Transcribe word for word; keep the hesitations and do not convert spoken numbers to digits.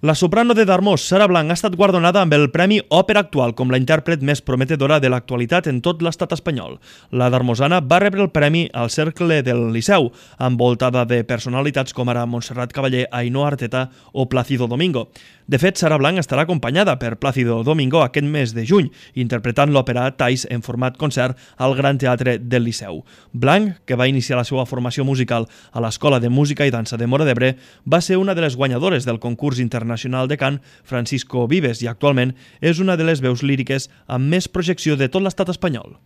La soprano de Darmós, Sara Blanc, ha estat guardonada amb el Premi Òpera Actual com la intèrpret més prometedora de l'actualitat en tot l'estat espanyol. La darmosana va rebre el premi al Cercle del Liceu, envoltada de personalitats com ara Montserrat Cavaller, Ainhoa Arteta o Plácido Domingo. De fet, Sara Blanc estarà acompanyada per Plácido Domingo aquest mes de juny, interpretant l'òpera Thais en format concert al Gran Teatre del Liceu. Blanc, que va iniciar la seva formació musical a l'Escola de Música i Dansa de Móra d'Ebre, va ser una de les guanyadores del concurs internacional de cant Francisco Vives i actualment és una de les veus líriques amb més projecció de tot l'estat espanyol.